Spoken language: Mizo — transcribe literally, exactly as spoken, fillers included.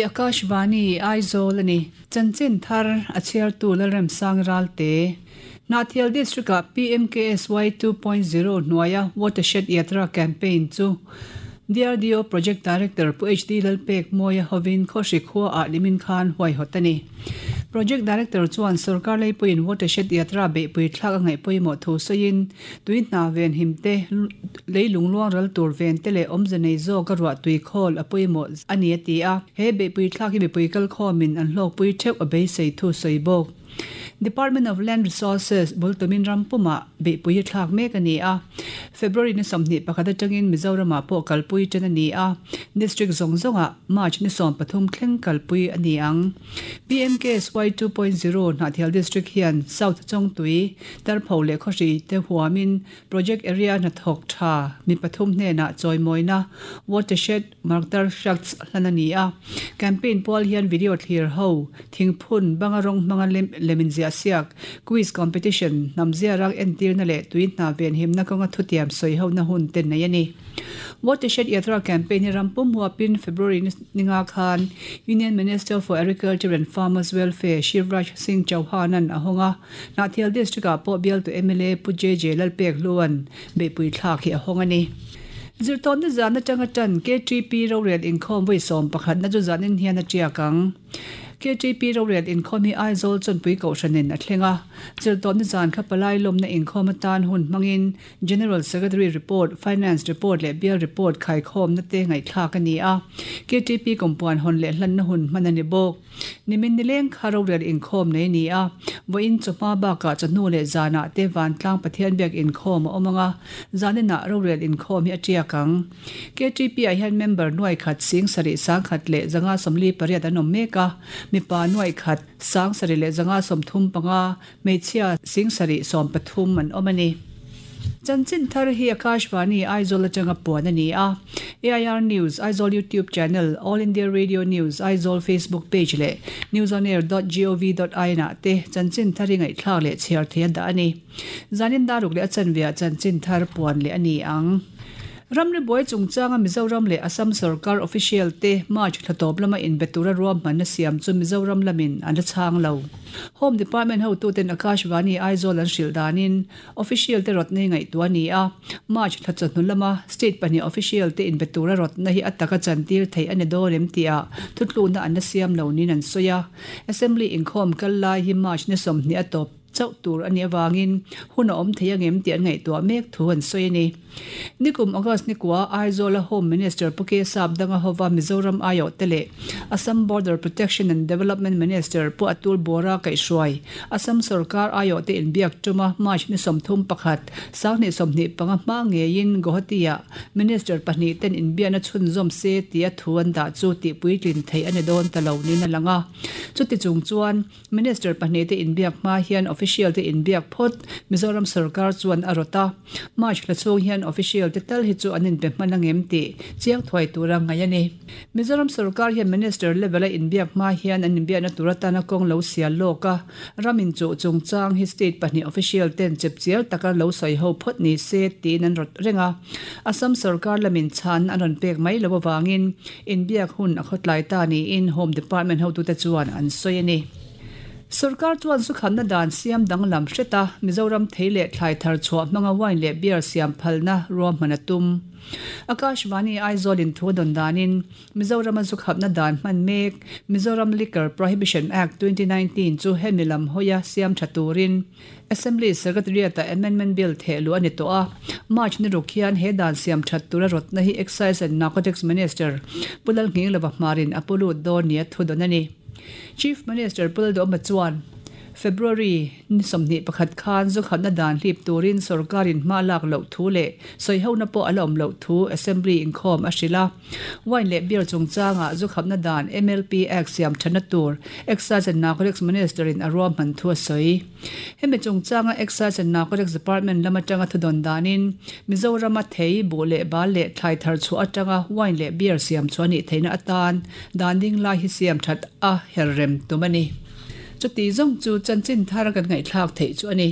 Hei hi Akashvani Aizawl a ni. Chanchin thar a chhiartu Lalremsang Ralte. Hnahthial District-ah PMKSY two point zero hnuaia Watershed Yatra campaign chu DRDO Project Director Pu HD Lalpek Mawia hovin Khawhri khuaah nimin khan huaihawt a ni. Project Director chuan sorkar leipuiin Watershed Yatra beihpui thlak a ngaih pawimawh thu sawiin tui hna ven him te leilung luang ral tur ven te leh awmze nei zawk a ruah tui khawl a pawimawh a ni a ti a. He beihpui thlak hi mipui kal khawmin an hlawkpui theuh a beisei thu sawi bawk. Department of Land Resources bultumin rampuma beihpui hi thlak mek a ni a. February ni sawmhnih pakhat atangin Mizoramah pawh kalpui ṭan a ni a. District zawng zawngah March ni sawm pathum thleng kalpui a ni ang. PMKSY two point zero Hnahthial District hian South Chawngtui, Tarpho leh Khawhri te huamin Project Area hnathawk tha mi pathum hnenah chawimawina Watershed Margdarshaks hlan a ni a. Campaign pual hian video thlir ho, thingphun, banga rawng hmanga lemin zia siak, quiz competition, hnamzia rak entirna leh tui hna ven himna kawnga thutiam sawi ho na hun te nei a ni. Watershed Yatra campaign hi rampum huapin February ninga khan Union Minister for Agriculture and Farmers Welfare Shivraj Singh Chauhan-an a hawnga. Hnahthial District-ah pawh bialtu MLA Pu J J Lalpek Hluan beihpui thlak hi a hawng a ni. Zirtawn na zan atanga tan KTP rorel inkhawm vawi sawm pakhat na chu zanin hian a tiak ang. KTP rorel inkhawm hi Aizawl chawnpui kohhranin a thleng a. Zirtawn na zan kha palai lawmna inkhawm atan hun hmangin General Secretary Report, Finance Report leh Bial Report khaikhawm na te ngaihthlak a ni a. KTP kumpuan hawn leh hlanna hun hman a ni bawk. Nimin nileng kha rorel inkhawm nei ni a. Vawiin chawhma bakah chawhnu leh zanah te vantlang Pathian biak inkhawm a awm anga. Zaninah rorel inkhawm hi a tiak ang. KTP ah hian member nuai khat sing sarih sang khat leh zanga sawmli pariat an awm mek a. Mipa nuai khat sang sarih leh zanga sawmthum panga hmeichhia sing sarih sawm pathum an awm a ni. Chanchin thar hi Akashvani Aizawl atanga puan a ni a. AIR News, Aizawl YouTube channel, All India Radio News, Aizawl Facebook page leh newsonair dot gov dot in ah te chanchin thar hi ngaihthlak leh chhiar thei a dah a ni. Zanin daruk leh a chanveah chanchin thar puan leh a ni ang. Ramri buai chungchanga Mizoram leh Assam sarkar official te March thlatawp lama inbe tura ruahmanna siam chu Mizoram lamin an la chhang lo. Home Department hotuten Akashvani Aizawl an hrilh danin official te rawtna hi ngaihtuah a ni a. March thla chawhnu lama state pahnih official te inbe tura rawtna hi a taka chantir theih a ni dawn em tih thutlukna an la siam lo niin an sawi a. Assembly inkhawm kal lai hi March ni sawmhnih a tawp chauh tur a nih avangin hun a awm thei angem tih an ngaihtuah mek thu an sawi a ni. Nikum August ni kua Aizawl a Home Minister Pu K Sap danga hova Mizoram aio te leh Assam Border Protection and Development Minister Pu Atul Bora kaihhruai Assam sarkar aio te inbiak tuma March ni sawmthum pakhat sanghnih sawmhnih panga hma ngeiin Guwahati-ah Minister pahnih ten inbiakna chhunzawm se tia thu an dah chu tihpuitlin theih a ni dawn ta lo niin a lang a. Chuti chung chuan Minister pahnih te inbiak hma hian official te inbiak phawt Mizoram sarkar chuan a rawt a. March thla chhung hian official te tal hi chu an inbe hman angem tih chiang thuai tura ngai a ni. Mizoram sarkar hian Minister level a inbiak hma hian an inbiakna tur atana kawng lo sial lawk a. Ramin chu chungchang hi state pahnih official ten chepchial taka lo sawi ho phawt ni se tiin an rawt reng a. Assam sarkar lamin chhan an rawn pek mai lo awangin inbiak hun a khawtlai ta niin Home Department hotute chuan an sawi a ni. Sarkar chuan sukhanna dan siam danglam hreta Mizoram thei leh thlai thar chhuah hmanga wine leh beer siam phalna ruahman a tum. Akashvani Aizawl in thu dawn danin Mizoram a sukhatna dan hman mek Mizoram Liquor Prohibition Act twenty nineteen chu hemi lam hawia siam tha turin Assembly Secretariat a Amendment Bill thehlu a ni tawh a. March ni ruk hian he dan siam that tura rawtna hi Excise and Narcotics Minister Pu Lalnghinglova hmarin a pulut dawn ni a thu dawn a ni. Chief Minister Pu Lalduhoma chuan February ni sawmhnih pakhat khan zukhatna dan hlip turin sarkarin hma lak loh thu leh sawi hona pawh a la awm loh thu Assembly inkhawm a hrilh a. Wine leh beer chungchanga zukhatna dan MLP Act siam thana tur Excise and Narcotics Minister in a ruahman thu a sawi. Hemi chungchanga Excise and Narcotics Department lama tanga thu dawn danin Mizoram a thei bu leh bal leh thlai thar chu atanga wine leh beer siam chu ani theina atan dan ding lai hi siam that a herrem tum a ni. Chuti zawng chu chanchin thar kan ngaihthlak theih chu a ni.